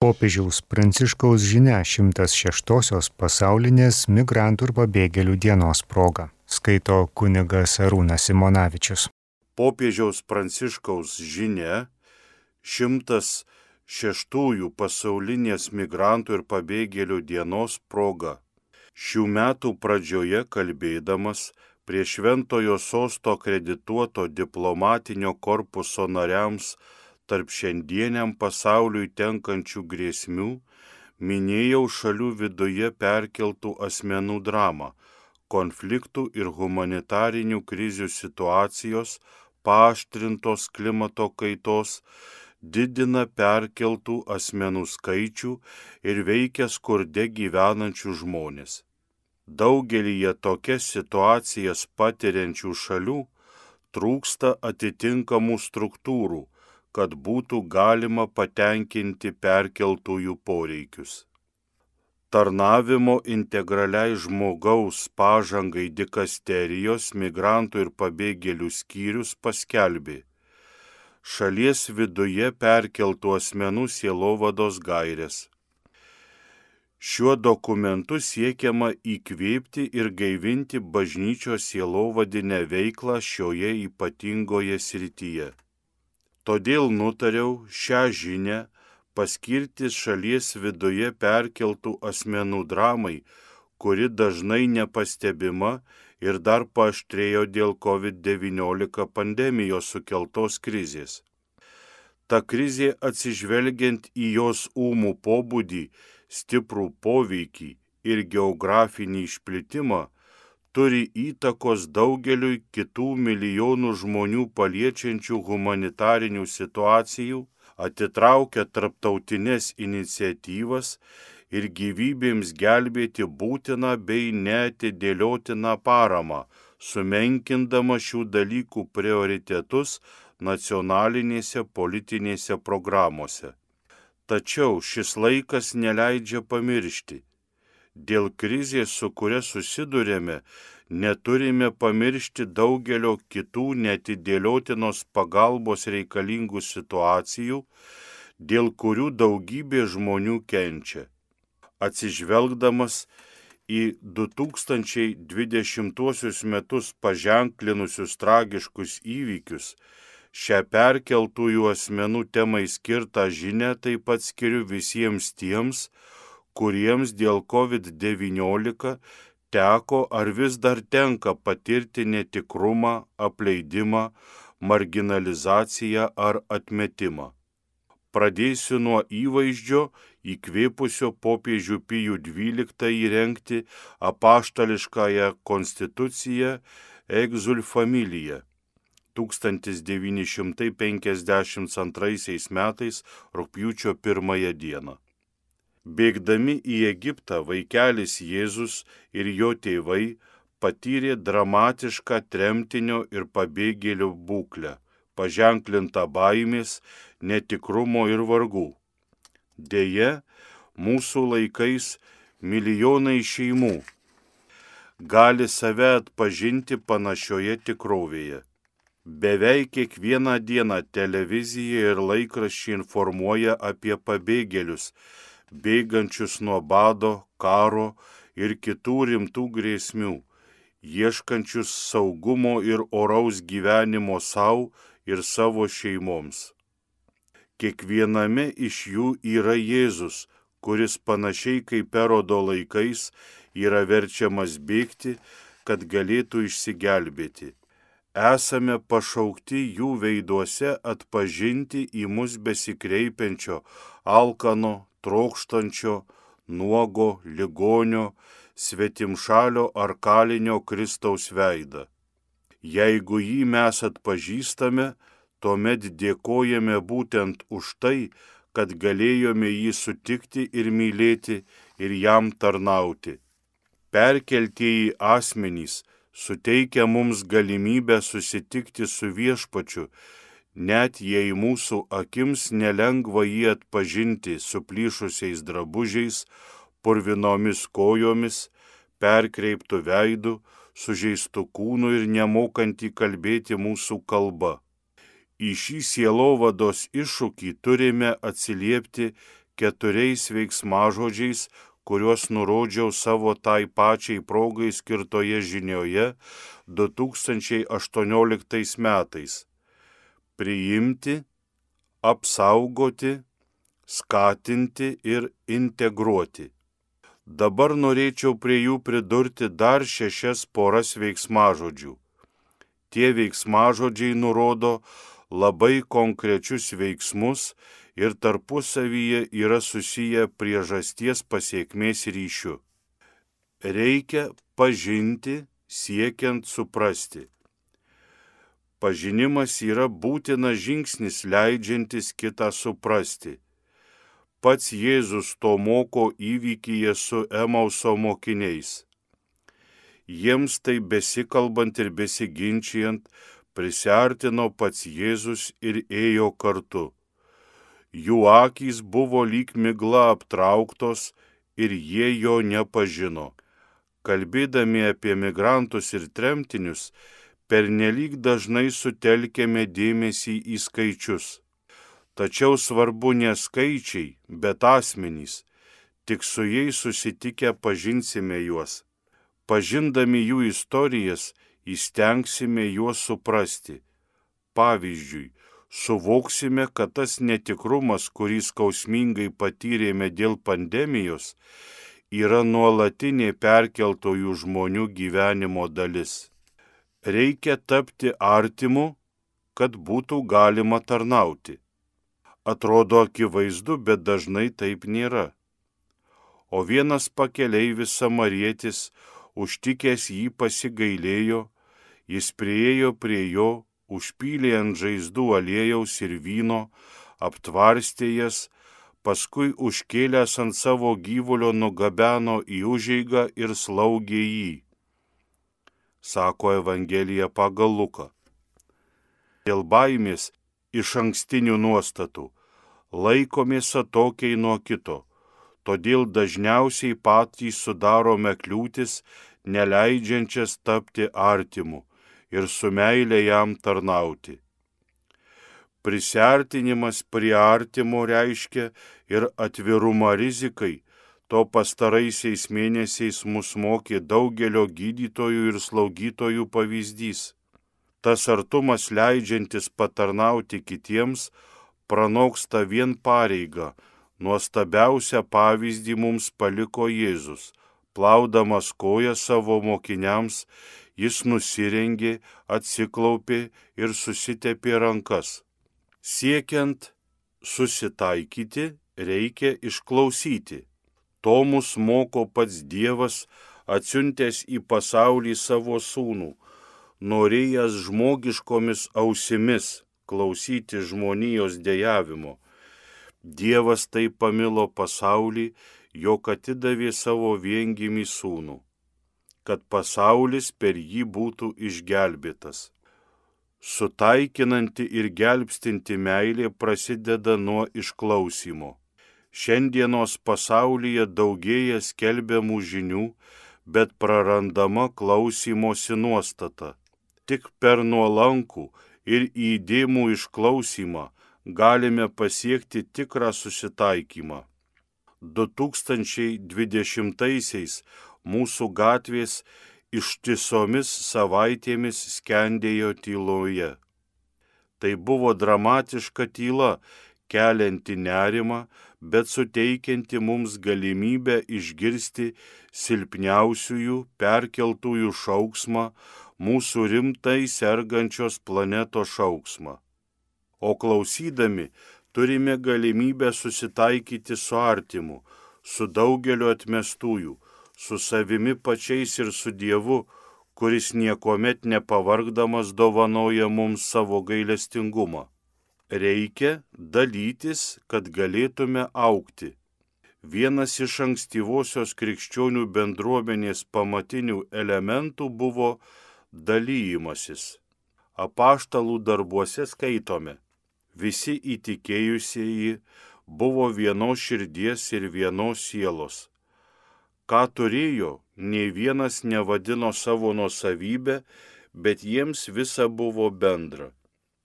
Popiežiaus Pranciškaus žinia 106-osios pasaulinės migrantų ir pabėgėlių dienos proga. Skaito kunigas Arūnas Simonavičius. Popiežiaus Pranciškaus žinia 106-ųjų pasaulinės migrantų ir pabėgėlių dienos proga. Šių metų pradžioje kalbėdamas prie Šventojo Sosto akredituoto diplomatinio korpuso nariams tarp šiandieniam pasauliui tenkančių grėsmių, minėjau šalių viduje perkeltų asmenų dramą, konfliktų ir humanitarinių krizių situacijos, paaštrintos klimato kaitos, didina perkeltų asmenų skaičių ir veikia skurde gyvenančių žmonės. Daugelyje tokias situacijas patiriančių šalių trūksta atitinkamų struktūrų, kad būtų galima patenkinti perkeltųjų poreikius. Tarnavimo integraliai žmogaus pažangai dikasterijos migrantų ir pabėgėlių skyrius paskelbė šalies viduje perkeltų asmenų sielovados gaires. Šiuo dokumentu siekiama įkvėpti ir gaivinti bažnyčios sielovadinę veiklą šioje ypatingoje srityje. Todėl nutariau šią žinią paskirti šalies viduje perkeltų asmenų dramai, kuri dažnai nepastebima ir dar paaštrėjo dėl COVID-19 pandemijos sukeltos krizės. Ta krizė, atsižvelgiant į jos ūmų pobūdį, stiprų poveikį ir geografinį išplitimą, turi įtakos daugeliui kitų milijonų žmonių paliečiančių humanitarinių situacijų, atitraukia tarptautinės iniciatyvas ir gyvybėms gelbėti būtiną bei neatidėliotiną paramą, sumenkindama šių dalykų prioritetus nacionalinėse politinėse programuose. Tačiau šis laikas neleidžia pamiršti. Dėl krizės, su kuria susidurėme, neturime pamiršti daugelio kitų neatidėliotinos pagalbos reikalingų situacijų, dėl kurių daugybė žmonių kenčia. Atsižvelgdamas į 2020 metus paženklinusius tragiškus įvykius, šią perkeltųjų asmenų temai skirtą žinią taip pat skiriu visiems tiems, kuriems dėl COVID-19 teko ar vis dar tenka patirti netikrumą, apleidimą, marginalizaciją ar atmetimą. Pradėsiu nuo įvaizdžio įkvėpusio popiežių Pijų XII įrengti apaštališkąją konstituciją Exsul Familia 1952 metais rugpjūčio 1 dieną. Bėgdami į Egiptą vaikelis Jėzus ir jo tėvai patyrė dramatišką tremtinio ir pabėgėlio būklę, paženklintą baimės, netikrumo ir vargų. Deja, mūsų laikais milijonai šeimų gali save atpažinti panašioje tikrovėje. Beveik kiekvieną dieną televizija ir laikraščiai informuoja apie pabėgėlius, bėgančius nuo bado, karo ir kitų rimtų grėsmių, ieškančius saugumo ir oraus gyvenimo savo ir savo šeimoms. Kiekviename iš jų yra Jėzus, kuris panašiai kaip Erodo laikais yra verčiamas bėgti, kad galėtų išsigelbėti. Esame pašaukti jų veiduose atpažinti į mus besikreipiančio, alkano, trokštančio, nuogo, ligonio, svetimšalio ar kalinio Kristaus veidą. Jeigu jį mes atpažįstame, tuomet dėkojame būtent už tai, kad galėjome jį sutikti ir mylėti ir jam tarnauti. Perkeltieji asmenys suteikia mums galimybę susitikti su Viešpačiu, net jei mūsų akims nelengva jį atpažinti suplyšusiais drabužiais, purvinomis kojomis, perkreiptų veidų, sužeistų kūnų ir nemokantį kalbėti mūsų kalba. Į šį sielovados iššūkį turime atsiliepti 4 veiksmažodžiais, kuriuos nurodžiau savo tai pačiai progai skirtoje žinioje 2018 metais. Priimti, apsaugoti, skatinti ir integruoti. Dabar norėčiau prie jų pridurti dar 6 poras veiksmažodžių. Tie veiksmažodžiai nurodo labai konkrečius veiksmus ir tarpusavyje yra susiję priežasties pasekmės ryšiu. Reikia pažinti, siekiant suprasti. Pažinimas yra būtinas žingsnis leidžiantis kitą suprasti. Pats Jėzus to moko įvykyje su Emauso mokiniais. Jiems tai besikalbant ir besiginčijant, prisiartino pats Jėzus ir ėjo kartu. Jų akys buvo lyg migla aptrauktos ir jie jo nepažino. Kalbėdami apie migrantus ir tremtinius, pernelyg dažnai sutelkėme dėmesį į skaičius. Tačiau svarbu ne skaičiai, bet asmenys. Tik su jais susitikę pažinsime juos. Pažindami jų istorijas, įstengsime juos suprasti. Pavyzdžiui, suvoksime, kad tas netikrumas, kurį skausmingai patyrėme dėl pandemijos, yra nuolatinė perkeltojų žmonių gyvenimo dalis. Reikia tapti artimu, kad būtų galima tarnauti. Atrodo akivaizdu, bet dažnai taip nėra. O vienas pakeleivis samarietis, užtikęs jį pasigailėjo, jis priėjo prie jo, užpylė ant žaizdų aliejaus ir vyno, aptvarstė jas, paskui užkėlęs ant savo gyvulio nugabeno į užeigą ir slaugė jį. Sako Evangelija pagal Luką. Dėl baimės išankstinių nuostatų laikomės atokiai nuo kito, todėl dažniausiai patys sudarome kliūtis, neleidžiančias tapti artimu ir su meile jam tarnauti. Prisiartinimas prie artimo reiškia ir atvirumą rizikai. To pastaraisiais mėnesiais mus mokė daugelio gydytojų ir slaugytojų pavyzdys. Tas artumas leidžiantis patarnauti kitiems pranoksta vien pareigą. Nuostabiausią pavyzdį mums paliko Jėzus. Plaudamas koją savo mokiniams, jis nusirengė, atsiklaupė ir susitepė rankas. Siekiant susitaikyti, reikia išklausyti. To mus moko pats Dievas, atsiuntęs į pasaulį savo sūnų, norėjęs žmogiškomis ausimis klausyti žmonijos dejavimo. Dievas taip pamilo pasaulį, jog atidavė savo viengimį sūnų, kad pasaulis per jį būtų išgelbėtas. Sutaikinanti ir gelbstinti meilė prasideda nuo išklausymo. Šiandienos pasaulyje daugėja skelbiamų žinių, bet prarandama klausymosi nuostata. Tik per nuolankų ir įdėmų išklausymą galime pasiekti tikrą susitaikymą. 2020-aisiais mūsų gatvės ištisomis savaitėmis skendėjo tyloje. Tai buvo dramatiška tyla, kelianti nerimą, bet suteikianti mums galimybę išgirsti silpniausiųjų perkeltųjų šauksmą, mūsų rimtai sergančios planetos šauksmą. O klausydami turime galimybę susitaikyti su artimu, su daugeliu atmestųjų, su savimi pačiais ir su Dievu, kuris niekuomet nepavargdamas dovanoja mums savo gailestingumą. Reikia dalytis, kad galėtume augti. Vienas iš ankstyvosios krikščionių bendruomenės pamatinių elementų buvo dalyjimasis. Apaštalų darbuose skaitome: visi įtikėjusieji buvo vienos širdies ir vienos sielos. Ką turėjo, nei vienas nevadino savo nuosavybę, bet jiems visa buvo bendra.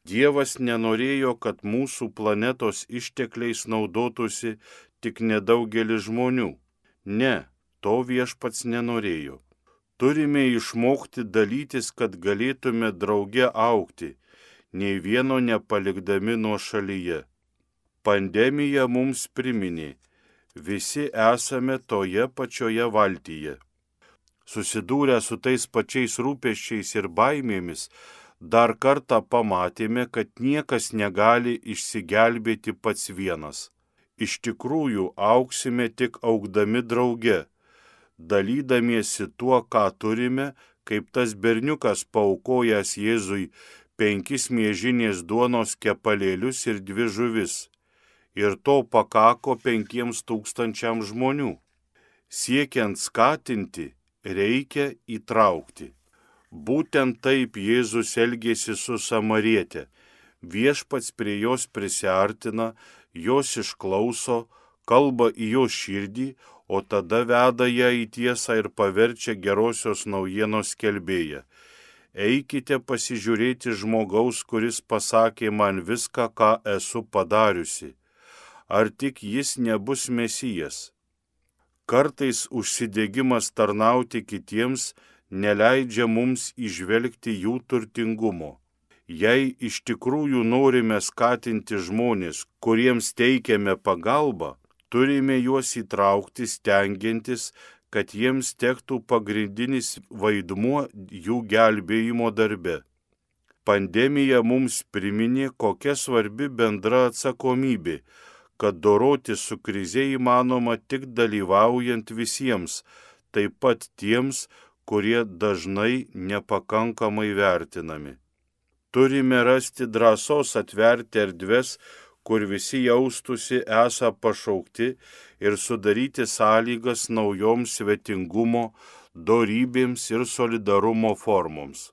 Dievas nenorėjo, kad mūsų planetos ištekliais naudotųsi tik nedaugelis žmonių. Ne, to Viešpats nenorėjo. Turime išmokti dalytis, kad galėtume drauge augti, nei vieno nepalikdami nuošalyje. Pandemija mums priminė, visi esame toje pačioje valtyje. Susidūrę su tais pačiais rūpesčiais ir baimėmis, dar kartą pamatėme, kad niekas negali išsigelbėti pats vienas. Iš tikrųjų, auksime tik augdami drauge, dalydamiesi tuo, ką turime, kaip tas berniukas paaukojęs Jėzui 5 miežinės duonos kepalėlius ir 2 žuvis. Ir to pakako 5000 žmonių. Siekiant skatinti, reikia įtraukti. Būtent taip Jėzus elgėsi su samariete. Viešpats prie jos prisiartina, jos išklauso, kalba į jo širdį, o tada veda ją į tiesą ir paverčia gerosios naujienos skelbėją. Eikite pasižiūrėti žmogaus, kuris pasakė man viską, ką esu padariusi. Ar tik jis nebus Mesijas? Kartais užsidegimas tarnauti kitiems neleidžia mums įžvelgti jų turtingumo. Jei iš tikrųjų norime skatinti žmonės, kuriems teikiame pagalbą, turime juos įtraukti stengiantis, kad jiems tektų pagrindinis vaidmuo jų gelbėjimo darbe. Pandemija mums priminė, kokia svarbi bendra atsakomybė, kad doroti su krize įmanoma tik dalyvaujant visiems, taip pat tiems, kurie dažnai nepakankamai vertinami. Turime rasti drąsos atverti erdves, kur visi jaustųsi esą pašaukti ir sudaryti sąlygas naujoms svetingumo, dorybėms ir solidarumo formoms.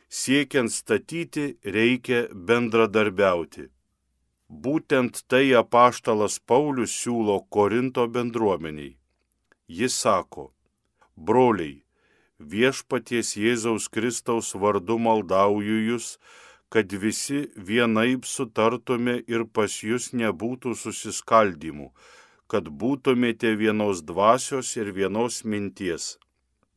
Siekiant statyti, reikia bendradarbiauti. Būtent tai apaštalas Paulius siūlo Korinto bendruomeniai. Jis sako: broliai, Viešpaties Jėzaus Kristaus vardu maldauju jūs, kad visi vienaip sutartume ir pas jūs nebūtų susiskaldymų, kad būtumėte vienos dvasios ir vienos minties.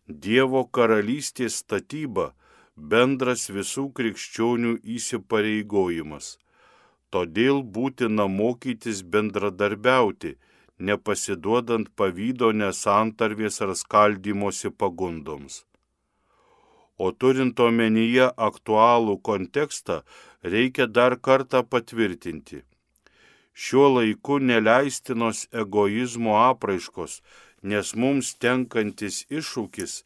Dievo karalystės statyba bendras visų krikščionių įsipareigojimas. Todėl būtina mokytis bendradarbiauti, nepasiduodant pavydo, nesantarvės ar skaldymosi pagundoms. O turint omenyje aktualų kontekstą, reikia dar kartą patvirtinti. Šiuo laiku neleistinos egoizmo apraiškos, nes mums tenkantis iššūkis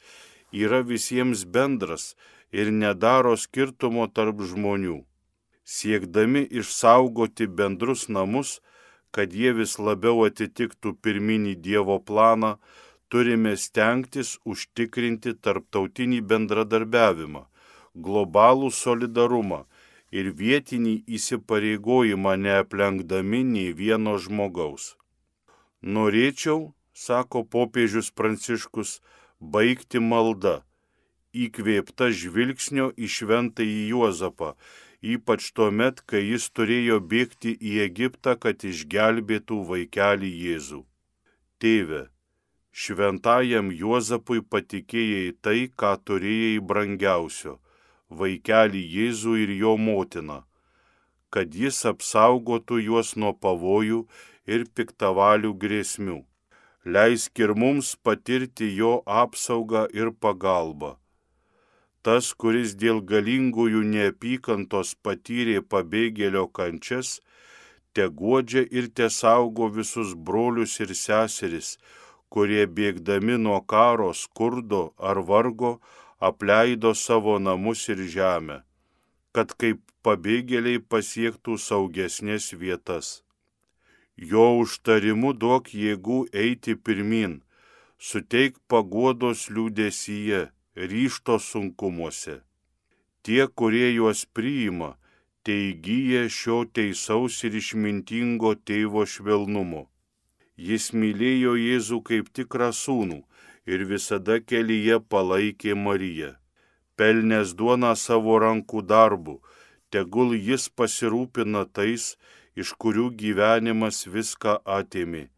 yra visiems bendras ir nedaro skirtumo tarp žmonių. Siekdami išsaugoti bendrus namus, kad jie vis labiau atitiktų pirminį Dievo planą, turime stengtis užtikrinti tarptautinį bendradarbiavimą, globalų solidarumą ir vietinį įsipareigojimą neaplenkdami nei vieno žmogaus. Norėčiau, sako popiežius Pranciškus, baigti malda, įkvėpta žvilgsnio į šventąjį Juozapą, ypač tuomet, kai jis turėjo bėgti į Egiptą, kad išgelbėtų vaikelį Jėzų. Tėve, šventajam Juozapui patikėjai tai, ką turėjai brangiausio, vaikelį Jėzų ir jo motiną, kad jis apsaugotų juos nuo pavojų ir piktavalių grėsmių. Leisk ir mums patirti jo apsaugą ir pagalbą. Tas, kuris dėl galingųjų neapykantos patyrė pabėgėlio kančias, te guodžia ir te saugo visus brolius ir seseris, kurie bėgdami nuo karo, skurdo ar vargo apleido savo namus ir žemę, kad kaip pabėgėliai pasiektų saugesnės vietas. Jo užtarimu duok jėgų eiti pirmin, suteik paguodos liūdesyje, ryžto sunkumuose. Tie, kurie juos priima, teįgyja šio teisaus ir išmintingo tėvo švelnumo. Jis mylėjo Jėzų kaip tikrą sūnų ir visada kelyje palaikė Mariją. Pelnęs duoną savo rankų darbu, tegul jis pasirūpina tais, iš kurių gyvenimas viską atėmė,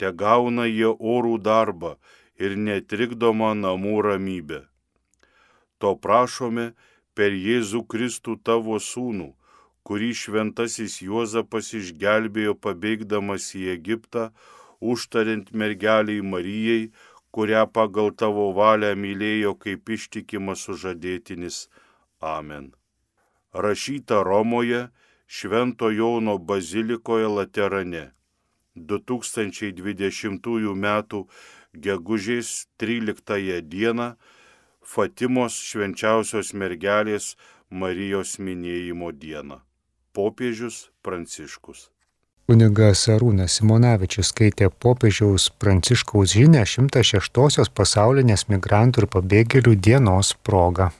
te gauna jie orų darbą ir netrikdomą namų ramybę. To prašome per Jėzų Kristų tavo sūnų, kurį šventasis Juozapas išgelbėjo pabėgdamas į Egiptą, užtariant mergeliai Marijai, kurią pagal tavo valią mylėjo kaip ištikimas sužadėtinis. Amen. Rašyta Romoje, Švento Jono bazilikoje Laterane, 2020 m. gegužės 13 dieną, Fatimos švenčiausios mergelės Marijos minėjimo dieną. Popiežius Pranciškus. Kunigas Arūnas Simonavičius skaitė popiežiaus Pranciškaus žinią 106-osios pasaulinės migrantų ir pabėgėlių dienos proga.